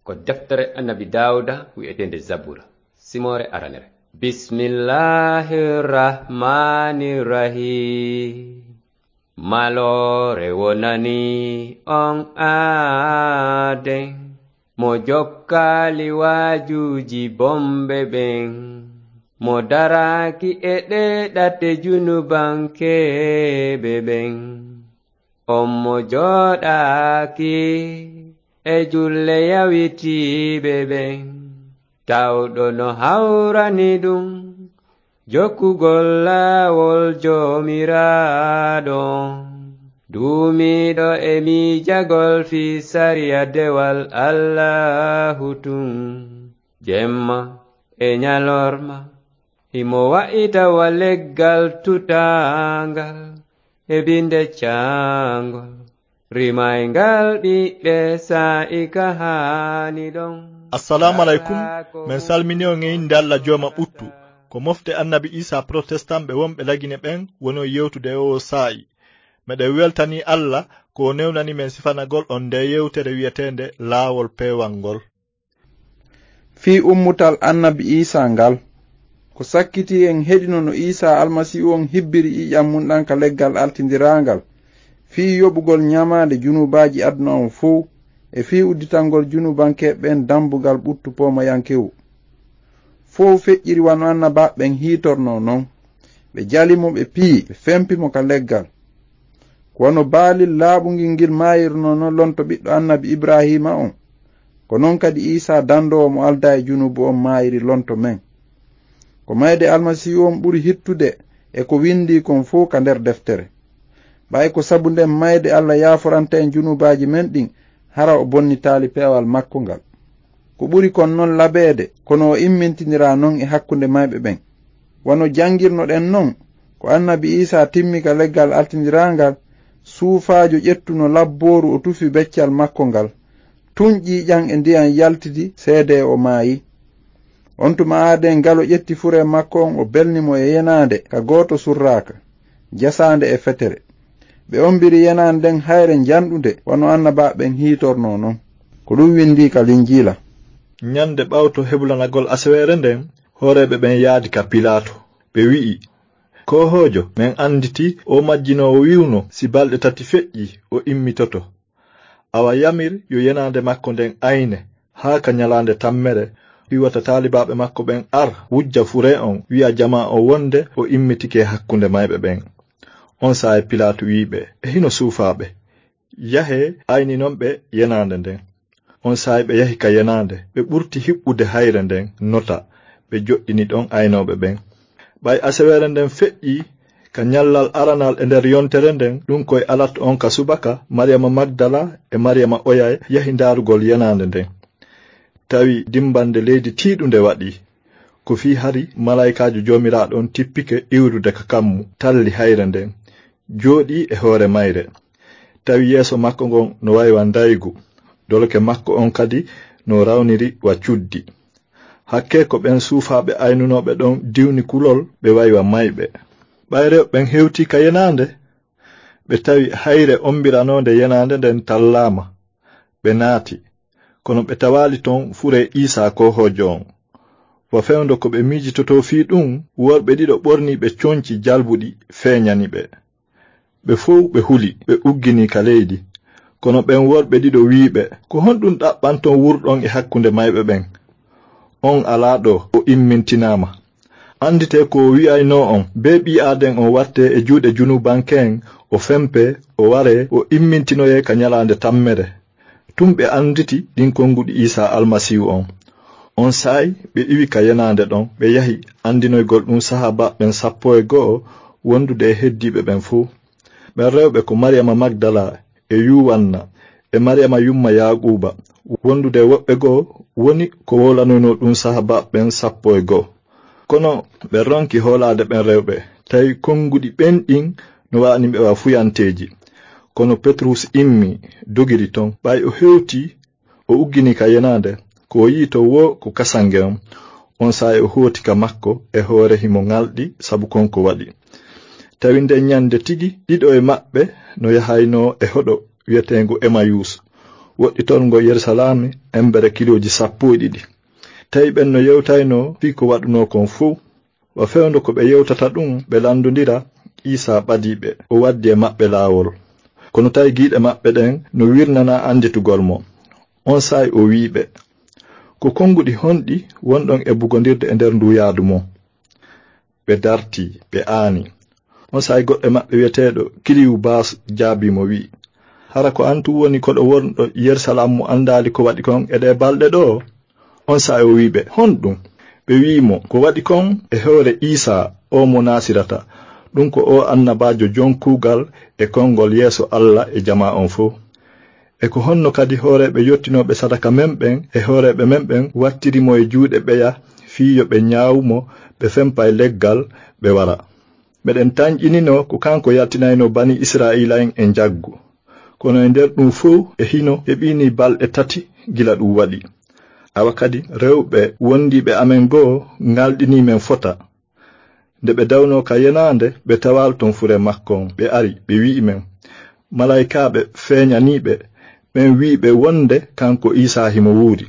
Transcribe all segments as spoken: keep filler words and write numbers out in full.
Ko deftere Annabi Daawuda wi'eteende Zabura, simoore aranere. Bismillahir Rahmanir Rahim. Maloore wonani on aaden, mo jokkaali waajuuji bonɓe ɓen, mo daraaki e ɗee ɗate junubankeeɓe ɓen. On mo jooɗaaki e julle yawitiiɓe ɓen, tawɗo no hawrani ɗum jokkugol laawol Joomiraaɗo on, duumiiɗo e miijagol fii sariya dewal Allaahu tun, jemma e ɲalorma. Himo wa'ita wa leggal tutaangal e binde caangol, rimayngal ɓiɓɓe saa'i ka haani ɗon. Assalaamu alaykum. Men salmini on e innde Alla Jooma ɓuttu. Ko mofte Annabi Iisaa Protestan ɓe wonɓe Lagine ɓen woni on yewtude e oo saa'i. Meɗen weltanii Alla ko o newnani men sifanagol on ndee yewtere wi'eteende Laawol Peewal ngol. Fii ummutal Annabi Iisaa ngal. Ko sakkitii en heɗino no Iisaa Almasiihu on hibbiri ƴiƴan mun ɗan ka leggal altindiraangal, fii yoɓugol ɲamaande junuubaaji aduna on fow, e fii udditangol junuubankeeɓe ɓen dambugal ɓuttu poomayankewu. Fow feƴƴiri wano annabaaɓe ɓen hiitornoo non. Ɓe jali mo, ɓe piyi, ɓe fempi mo ka leggal. Ko wano baalil laaɓungil ngil maayirnoo non lonto ɓiɗɗo Annabi Ibraahiima on, ko non kadi Iisaa dandoowo mo aldaa e junuubu on maayiri lonto men. Ko mayde Almasiihu on ɓuri hittude e ko windii kon fow ka nder deftere. Ɓay ko sabu nden mayde Alla yaaforanta en junuubaaji men ɗin, hara o bonnitaali peewal makko ngal. Ko ɓuri kon non labeede, kono o immintiniraa non e hakkunde mayɓe ɓen. Wano jangirnoɗen non, ko Annabi Iisaa timmi ka leggal altindiraangal, suufaajo ƴettuno labbooru o tufi beccal makko ngal, tun ƴiiƴan e ndiyan yaltidi seedee o maayi. On tuma aaden ngal o ƴetti furee makko on o belni mo e yenaande ka gooto surraaka, jasaande e fetere. Ɓe ombiri yenaande nden hayre njanɗunde wano annabaaɓe ɓen hiitornoo non. Ko ɗun windii ka Linjiila. Ɲande ɓawto hebulanagol aseweere nden, hooreeɓe ɓen yaadi ka Pilaatu. Ɓe wi'i, "Koohoojo, men annditi o majjinoowo wi'uno si balɗe tati feƴƴii, o immitoto. Awa yamir yo yenaande makko nden ayne haa ka ɲalaande tammere, fii wata taalibaaɓe makko ɓen ar, wujja furee on, wi'a jamaa on wonde o immitike hakkunde mayɓe ɓen." Onsay Pilaatu wi'i ɓe, "E hino suufaa ɓe. Yahee, ayninon ɓe yenaande nden." Onsay ɓe yahi ka yenaande, ɓe ɓurti hiɓɓude hayre nden nota, ɓe joɗɗini ɗon aynooɓe ɓen. Ɓay aseweere nden feƴƴii, ka ɲallal aranal e nder yontere nden, ɗun ko e alat on ka subaka, Mariyama Magdala e Mariyama Oyay yahi ndaarugol yenaande nden. Tawi dimbande leydi tiiɗunde waɗii. Ko fii hari malaa'ikaajo Joomiraaɗo on tippike iwrude ka kammu, talli hayre nden, jooɗii e hoore mayre. Tawi yeeso makko ngon no way wa ndaygu, doloke makko on kadi no rawniri wa cuddi. Hakkee ko ɓen suufaaɓe aynunooɓe ɗon diwni kulol, ɓe way wa mayɓe. Ɓay rewɓe ɓen hewtii ka yenaande, ɓe tawi hayre ombiranoonde yenaande nden tallaama. Ɓe naati, kono ɓe tawaali ton furee Iisaa koohoojo on. Wa fewndo ko ɓe miijitotoo fii ɗun, worɓe ɗiɗo ɓorniiɓe conci jalbuɗi feeɲani ɓe. Ɓe fow ɓe huli, ɓe uggini ka leydi. Kono ɓen worɓe ɗiɗo wi'i ɓe, "Ko honɗun ɗaɓɓanton wurɗon e hakkunde mayɓe ɓen? On alaa ɗoo, o immintinaama. Annditee ko o wi'aynoo on, bee ɓii aaden on wattee e juuɗe junuubanke'en, o fempee, o waree, o immintinoyee ka ɲalaande tammere." Tun ɓe annditi ɗin konguɗi Iisaa Almasiihu on. Onsay ɓe iwi ka yenaande ɗon, ɓe yahi anndinoygol ɗun sahaabaaɓe ɓen sappo e go'o wondude e heddiiɓe ɓen fow. Ɓen rewɓe ko Mariyama Magdala e Yuwanna e Mariyama yumma Yaaquuba, wondude e woɓɓe goo woni ko wowlanoynoo ɗun sahaabaaɓe ɓen sappo e go'o. Kono ɓe ronki hoolaade ɓen rewɓe, tawi konguɗi ɓen ɗin no wa'ani ɓe wa fuyanteeji. Kono Petrus immii, dogiri ton. Ɓay o hewtii, o ugginii ka yenaande, ko o yi'i ton woo ko kasange on. Onsay o hooti ka makko e hoore himo ŋalɗi sabu kon ko waɗi. Tawi nden ɲande tigi, ɗiɗo e maɓɓe no yahaynoo e hoɗo wi'eteengo Emayus, woɗɗitorngo Yerusalaami embere kilooji sappo e ɗiɗi. Tawi ɓen no yewtaynoo fii ko waɗunoo kon fow. Wa fewndo ko ɓe yewtata ɗum, ɓe lanndondira, Iisaa ɓadii ɓe, o waddi e maɓɓe laawol. Kono tawi giiɗe maɓɓe ɗen no wirnanaa annditugol mo. Onsay o wi'i ɓe, "Ko konnguɗi honɗi wonɗon e bugondirde e nder nduu yaadu mon?" Ɓe dartii, ɓe aani. Onsay goɗɗo e maɓɓe wi'eteeɗo Kiliwbas jaabii mo wi'i, "Hara ko an tun woni koɗo wonɗo Yerusalaam mo anndaali ko waɗi kon e ɗee balɗe ɗoo?" Onsay o wi'i ɓe, "Honɗum?" Ɓe wi'i mo, "Ko waɗi kon e hoore Iisaa, oo mo Naasirata, ɗum ko oo annabaajo jon kuugal e konngol yeeso Alla e jamaa on fow. E ko honno kadi hooreeɓe yottinooɓe sadaka men ɓen e hooreeɓe men ɓen wattiri mo e juuɗe ɓeya fii yo ɓe ñaawu mo, ɓe fempa e leggal, ɓe wara? Meɗen tanƴinino ko kanko yaltinaynoo banii Israa'iila'en e njaggu. Kono e nder ɗum fow e hino heɓiinii balɗe tati gila ɗum waɗi. Awa kadi rewɓe wondiiɓe amen goo ŋalɗinii men fota. Nde ɓe dawnoo ka yenaande, ɓe tawaali ton furee makko on. Ɓe ari, ɓe wi'i men, malaykaaɓe feeñanii ɓe, ɓen wi'i ɓe wonde kanko Iisaa himo wuuri.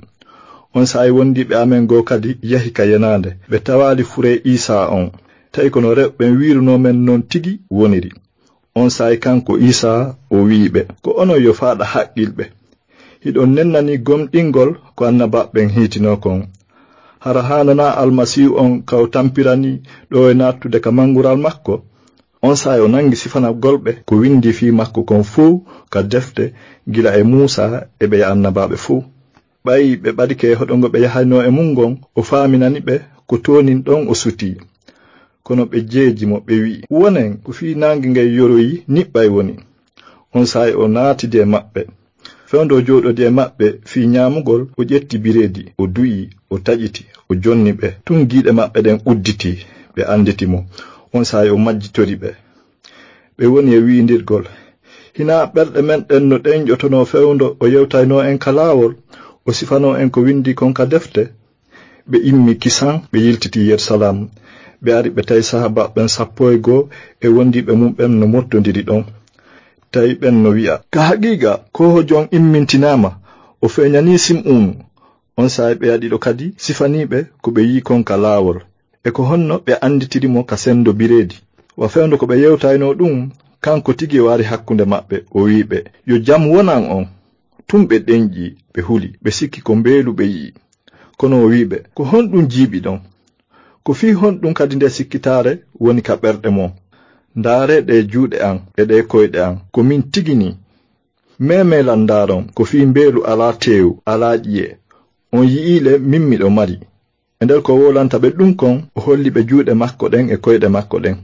Onsay wondiiɓe amen goo kadi yahi ka yenaande, ɓe tawaali furee Iisaa on. Tawi ko no rewɓe ɓen wiirunoo men non tigi woniri." Onsay kanko Iisaa o wi'i ɓe, "Ko onon yo faaɗa haqqilɓe. Hiɗon nennanii gomɗingol ko annabaaɓe ɓen hiitinoo kon. Hara haananaa Almasiihu on ka o tampiranii ɗoo e nattude ka manngural makko?" Onsay o nangi sifanagol ɓe ko windii fii makko kon fow ka defte, gila e Muusaa e ɓeya annabaaɓe fow. Ɓay ɓe ɓadike e hoɗo ngo ɓe yahaynoo e mun ngon, o faaminani ɓe ko toonin ɗon o sutii. Kono ɓe jeeji mo, ɓe wi'i, "Wonen ko fii naange ngen yoroyi niɓɓay woni." Onsay o naatidi e maɓɓe. Fewndo o jooɗodi e maɓɓe fii ñaamugol, o ƴetti bireedi, o du'i, o taƴiti, o jonni ɓe. Tun giiɗe maɓɓe ɗen udditii, ɓe anditi mo. Onsay o majjitori ɓe. Ɓe woni e wi'indirgol, "Hinaa ɓerɗe men ɗen no ɗenƴotonoo fewndo o yewtaynoo en ka laawol, o sifanoo en ko windii kon ka defte?" Ɓe immi kisan, ɓe yiltiti Yerusalaam. Ɓe ari, ɓe tawi sahaabaaɓe ɓen sappo e goo e wondiiɓe mun ɓen no mottondiri ɗon. Tawi ɓen no wi'a, "Ka haqiiqa, koohoojo on immintinaama, o feeñanii Sim'uunu." Onsay ɓeya ɗiɗo kadi sifanii ɓe ko ɓe yi'i kon ka laawol, e ko honno ɓe anditiri mo ka sendo bireedi. Wa fewndo ko ɓe yewtaynoo ɗum, kanko tigi o ari hakkunde maɓɓe, o wi'i ɓe, "Yo jam wonan on." Tun ɓe ɗenƴi, ɓe huli, ɓe sikki ko mbeelu ɓe yi'i. Kono o wi'i ɓe, "Ko honɗum jiiɓiɗon? Ko fii honɗum kadi nde sikkitaare woni ka ɓerɗe mon? Ndaaree ɗee juuɗe an e ɗee koyɗe an, ko min tigi nii. Meemeelan ndaaron, ko fii mbeelu alaa teewu, alaa ƴi'e. On yi'iile min miɗo mari." E nder ko wowlanta ɓe ɗum kon, o holli ɓe juuɗe makko ɗen e koyɗe makko ɗen.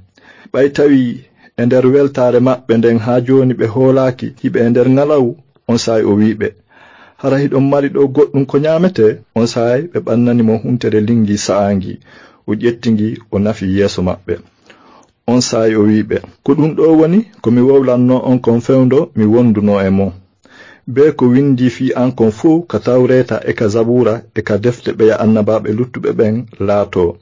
Ɓay tawi e nder weltaare maɓɓe nden haa jooni ɓe hoolaaki hiɓe e nder ŋalawu, onsay o wi'i ɓe, "Hara hiɗon mari ɗoo goɗɗum ko ñaametee?" Onsay ɓe ɓannani mo huntere lingi sa'aangi, o ƴetti ngi, o nafi yeeso maɓɓe. Onsay o wi'i ɓe, "Ko ɗum ɗoo woni ko mi wowlannoo on kon fewndo mi wondunoo e mon. Bee ko windii fii an kon fow ka Tawreeta e ka Zabuura e ka defte ɓeya annabaaɓe luttuɓe ɓen laatoo."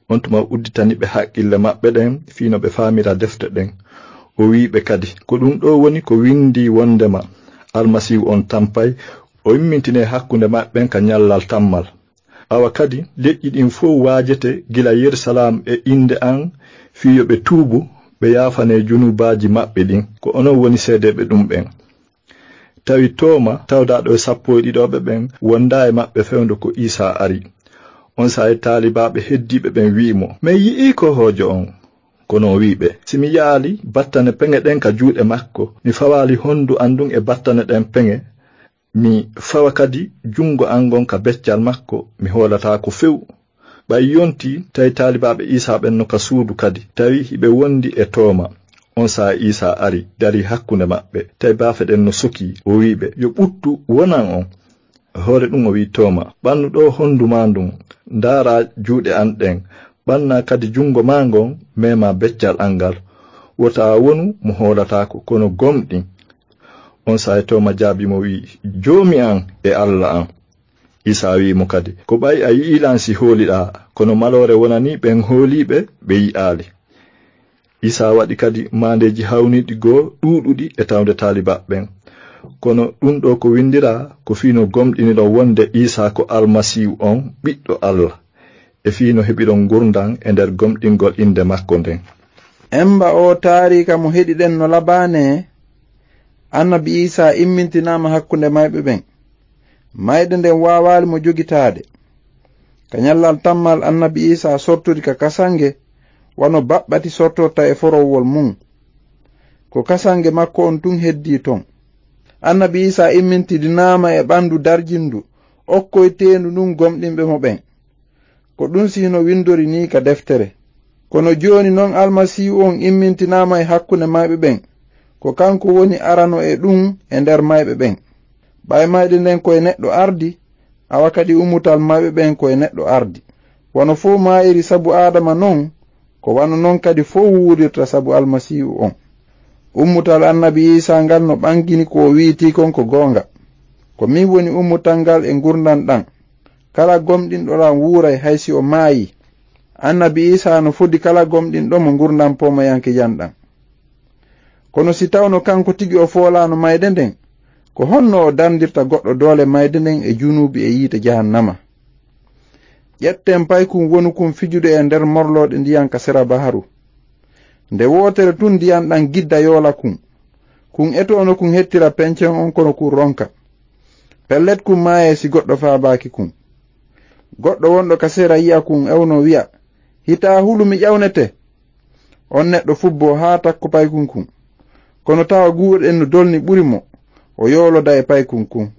On tuma udditani ɓe haqqille maɓɓe ɗen fii no ɓe faamira defte ɗen. O wi'i ɓe kadi, "Ko ɗum ɗoo woni ko windii wondema Almasiihu on tampay, o immintinee hakkunde maɓɓe ɓen ka ñallal tammal. Awa kadi leƴƴi ɗin fow waajete gila Yerusalaam e innde an fii yo ɓe tuubu, ɓe yaafanee junubaaji maɓɓe ɗin. Ko onon woni seedeeɓe ɗum ɓen." Tawi Tooma, tawdaaɗo e sappo e ɗiɗooɓe ɓen, wondaa e maɓɓe fewndo ko Iisaa ari. Onsay taalibaaɓe heddiiɓe ɓen wi'i mo, "Men yi'ii koohoojo on." Kono o wi'i ɓe, "Si mi yaali battane peŋe ɗen ka juuɗe makko, mi fawaali hondu an ndun e battane ɗen peŋe, mi fawa kadi jungo an ngon ka beccal makko, mi hoolataako few." Ɓay yonti, tawi taalibaaɓe Iisaa ɓen no ka suudu kadi, tawi hiɓe wondi e Tooma. Onsay Iisaa ari, darii hakkunde maɓɓe. Tawi baafe ɗen no sokii, o wi'i ɓe, "Yo ɓuttu wonan on." Hoore ɗum o wi'i Tooma, "Ɓannu ɗoo hondu maa ndun, ndaaraa juuɗe an ɗen, ɓannaa kadi jungo maa ngon, meemaa beccal an ngal. Wota a wonu mo hoolataako, kono gomɗin." Onsay Tooma jaabii mo wi'i, "Joomi an e Alla an." Iisaa wi'i mo kadi, "Ko ɓay a yi'ii lan si hooliɗaa, kono maloore wonanii ɓen hooliiɓe ɓe yi'aali." Iisaa waɗi kadi maandeeji hawniiɗi goo ɗuuɗuɗi e tawde taalibaaɓe ɓen. Kono ɗum ɗo ko windiraa ko fii no gomɗiniɗon wonde Iisaa ko Almasiihu on, Ɓiɗɗo Alla, e fii no heɓiɗon ngurndan e nder gomɗingol innde makko nden. Emba oo taariika mo heɗiɗen no labaane, Annabi Iisaa immintinaama hakkunde mayɓe ɓen. Mayde nden waawaali mo jogitaade. Ka ñallal tammal Annabi Iisaa sortori ka kasange, wano baɓɓati sortorta e forowwol mun. Ko kasange makko on tun heddii ton. Annabi Iisaa immintidinaama e ɓandu darjindu, okkoyteendu ndun gomɗinɓe mo ɓen. Ko ɗun si hino windori nii ka deftere. Kono jooni non Almasiihu on immintinaama e hakkunde mayɓe ɓen. Ko kanko woni arano e ɗun e nder mayɓe ɓen. Ɓay mayde nden ko e neɗɗo ardi, awa kadi ummutal mayɓe ɓen ko e neɗɗo ardi. Wano fow maayiri sabu Aadama non, ko wano non kadi fow wuurirta sabu Almasiihu on. Ummutal Annabi Iisaa ngal no ɓangini ko o wi'itii kon ko goonga. Ko min woni ummutal ngal e ngurndan ɗan. Kala gomɗinɗo lan wuuray hay si o maayii. Annabi Iisaa no fodi kala gomɗinɗo mo ngurndan poomayankejan ɗan. Kono si tawno kanko tigi o foolaano mayde nden, ko honno o dandirta goɗɗo doole mayde nden e junuubi e yiite jahannama? Ƴetten paykun wonukun fijude e nder morlooɗe ndiyan ka sera baharu. Nde wootere tun ndiyan ɗan gidda yoola kun. Kun etoono kun hettira pencen on kono kun ronka. Pellet kun maayee si goɗɗo faabaaki kun. Goɗɗo wonɗo ka sera yi'a kun ewno wi'a, "Hitaa hulu mi ƴawnete." On neɗɗo fubboo haa takko paykun kun. Kono tawa guuwuɗen no dolni ɓuri mo, o yooloda e paykun kun.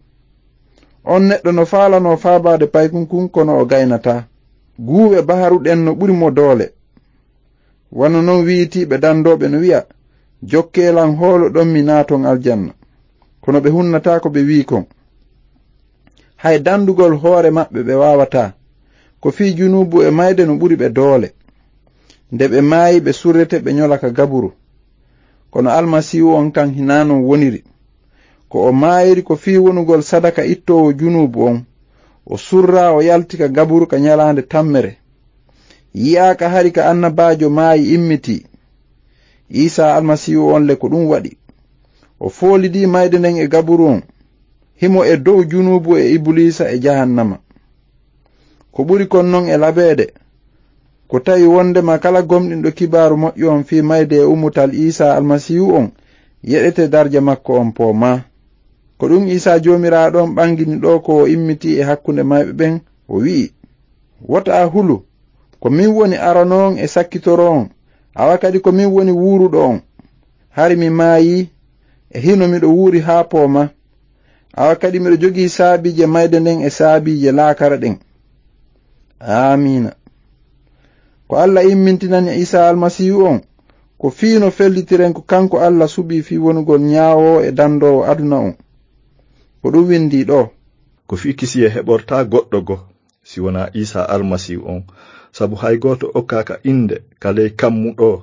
On neɗɗo no faalanoo faabaade paykun kun kono o gaynataa. Guuwe baharu ɗen no ɓuri mo doole. Wano non wi'itiiɓe dandooɓe no wi'a, "Jokkee lan hoolo ɗon mi naaton aljanna." Kono ɓe hunnataa ko ɓe wi'i kon. Hay dandugol hoore maɓɓe ɓe waawataa. Ko fii junuubu e mayde no ɓuri ɓe doole. Nde ɓe maayi ɓe surrete ɓe ñola ka gaburu. Kono Almasiihu on kan hinaa non woniri. Ko o maayiri ko fii wonugol sadaka ittoowo junuubu on. O surraa o yalti ka gaburu ka ñalaande tammere. Yi'aaka hari ka annabaajo maayi immitii. Iisaa Almasiihu on le ko ɗum waɗi. O foolidii mayde nden e gaburu on. Himo e dow junuubu e Ibuliisa e jahannama. Ko ɓuri kon non e labeede, ko tawi wondema kala gomɗinɗo kibaaru moƴƴo on fii mayde e ummutal Iisaa Almasiihu on, yeɗete darja makko on poomaa. Ko ɗum Iisaa Joomiraaɗo on ɓangini ɗoo ko o immitii e hakkunde mayɓe ɓen, o wi'i, "Wota a hulu, ko min woni arano on e sakkitoro on, awa kadi ko min woni wuuruɗo on. Hari mi maayii, e hino miɗo wuuri haa poomaa. Awa kadi miɗo jogii saabiije mayde nden e saabiije laakara ɗen." Aamiina. Ko Alla immintinani Iisaa Almasiihu on, ko fii no fellitiren ko kanko Alla suɓii fii wonugol ñaawoowo e dandoowo aduna on. Ko ɗum windii ɗoo. Ko fii kisiyee heɓortaa goɗɗo goo, si wonaa Iisaa Almasiihu on, sabu hay gooto okkaaka innde ka ley kammu ɗoo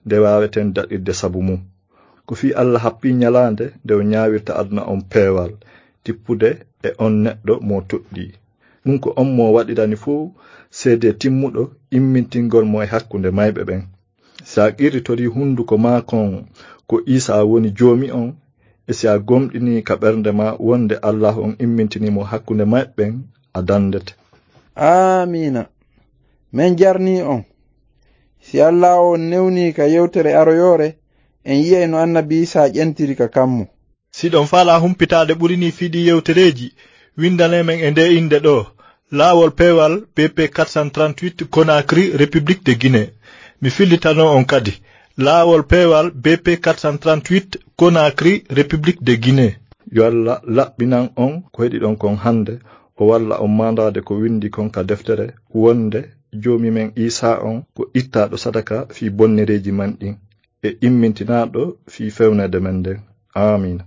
nde waaweten daɗirde sabu mum. Ko fii Alla happii ñalaande nde o ñaawirta aduna on peewal, tippude e on neɗɗo mo toɗɗii. Ɗum ko on mo waɗirani fow seedee timmuɗo immintingol mo e hakkunde mayɓe ɓen. Si a qirritorii hunduko maa kon ko Iisaa woni Joomi on, e si a gomɗinii ka ɓernde maa wonde Allaahu on immintinii mo hakkunde mayɓe ɓen, a dandete. Aamiina. Men jarnii on. Si Allaahu on newnii ka yewtere aroyoore, en yi'ay no Annabi Iisaa ƴentiri ka kammu. Si ɗon faalaa humpitaade ɓuri nii fii ɗii yewtereeji, windanee men e ndee innde ɗoo, Laawol Peewal B P quatre cent trente-huit, Conakry, République de Guinée. Mi fillitano on kadi, Laawol Peewal B P quatre cent trente-huit, Conakry, République de Guinée. Yo Alla laɓɓinan on ko heɗiɗon kon hannde, o walla on maandaade ko windi kon ka deftere, wonde Joomi men Iisaa on ko ittaaɗo sadaka fii bonnereeji men ɗin, e immintinaaɗo fii fewneede men nden. Aamiina.